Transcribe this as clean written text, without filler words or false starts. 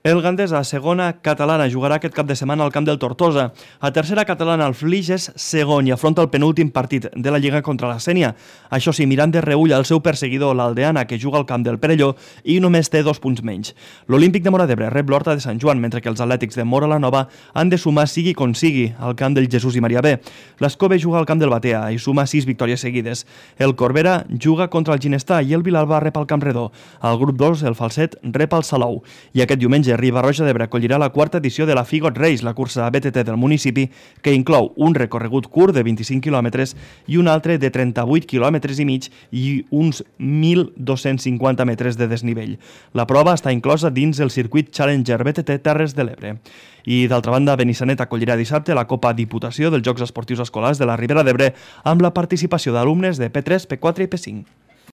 El Gandesa, segona catalana, jugarà aquest cap de setmana al camp del Tortosa. A tercera catalana, el Flix és segon i afronta el penúltim partit de la Lliga contra la Sénia. Això sí, mirant de reull el seu perseguidor, l'Aldeana, que juga al camp del Perelló i només té 2 punts menys. L'Olímpic de Móra d'Ebre rep l'Horta de Sant Joan, mentre que els atlètics de Móra la Nova han de sumar sigui com sigui al camp del Jesús i Maria B. L'Escove juga al camp del Batea i suma 6 victòries seguides. El Corbera juga contra el Ginestà i el Vilalba rep al Camp Redó. Al grup 2, el Falset rep al Salou. I aquest diumenge, Riba-roja d'Ebre acollirà la quarta edició de la Figot Race, la cursa BTT del municipi, que inclou un recorregut curt de 25 quilòmetres i un altre de 38 quilòmetres i mig i uns 1.250 metres de desnivell. La prova està inclosa dins el circuit Challenger BTT Terres de l'Ebre. I, d'altra banda, Benissanet acollirà dissabte la Copa Diputació dels Jocs Esportius Escolars de la Ribera d'Ebre amb la participació d'alumnes de P3, P4 i P5.